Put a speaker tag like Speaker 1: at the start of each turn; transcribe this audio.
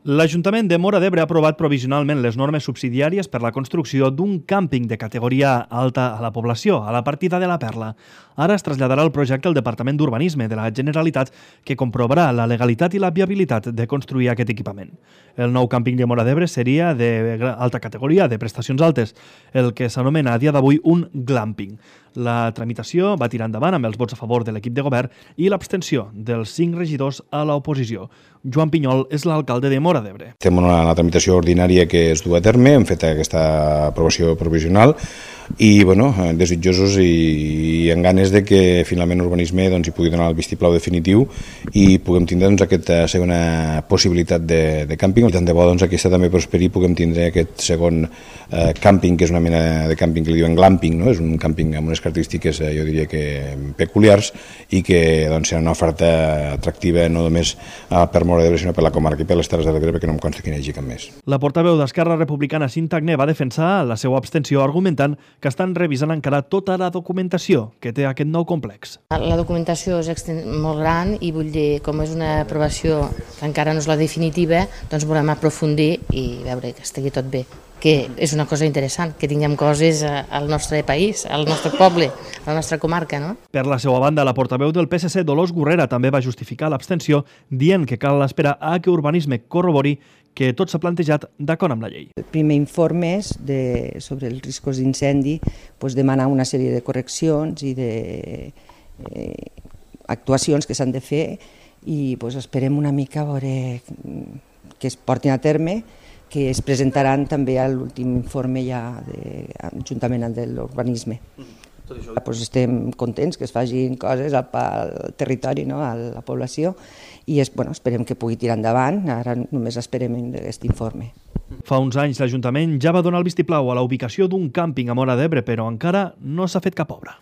Speaker 1: L'Ajuntament de Móra d'Ebre ha aprovat provisionalment les normes subsidiàries per la construcció d'un càmping de categoria alta a la població, a la partida de la Perla. Ara es traslladarà el projecte al Departament d'Urbanisme de la Generalitat, que comprovarà la legalitat i la viabilitat de construir aquest equipament. El nou càmping de Móra d'Ebre seria d'alta categoria, de prestacions altes, el que s'anomena a dia d'avui un glamping. La tramitació va tirar endavant amb els vots a favor de l'equip de govern i l'abstenció dels 5 regidors a l'oposició. Joan Pinyol és l'alcalde de Móra d'Ebre.
Speaker 2: Estem en una tramitació ordinària que es du a terme, hem fet aquesta aprovació provisional i desitjosos i amb ganes de que finalment l'urbanisme hi pugui donar el vistiplau definitiu i puguem tindre aquesta segona possibilitat de càmping. Tant de bo aquesta també prosperi i puguem tindre aquest segon càmping, que és una mena de càmping que li diuen glamping, no? És un càmping amb unes característiques, jo diria que peculiars, i que serà una oferta atractiva no només per Móra d'Ebre, sinó per la comarca i per les Terres de l'Ebre, perquè no em consta que n'hi hagi cap més.
Speaker 1: La portaveu d'Esquerra Republicana, Cinta Agné, va defensar la seva abstenció argumentant que estan revisant encara tota la documentació que té aquest nou complex.
Speaker 3: La documentació és molt gran i vull dir, com és una aprovació que encara no és la definitiva, doncs volem aprofundir i veure que estigui tot bé, que és una cosa interessant, que tinguem coses al nostre país, al nostre poble, a la nostra comarca, no?
Speaker 1: Per la seva banda, la portaveu del PSC, Dolors Gurrera, també va justificar l'abstenció, dient que cal esperar a que Urbanisme corrobori que tot s'ha plantejat d'acord amb la llei.
Speaker 4: El primer informe sobre els riscos d'incendi demana una sèrie de correccions i d'actuacions que s'han de fer i esperem una mica a veure que es portin a terme, que es presentaran també a l'últim informe ja juntament amb l'urbanisme. Estem contents que es facin coses al territori, a la població, i esperem que pugui tirar endavant. Ara només esperem aquest informe.
Speaker 1: Fa uns anys l'Ajuntament ja va donar el vistiplau a la ubicació d'un càmping a Móra d'Ebre, però encara no s'ha fet cap obra.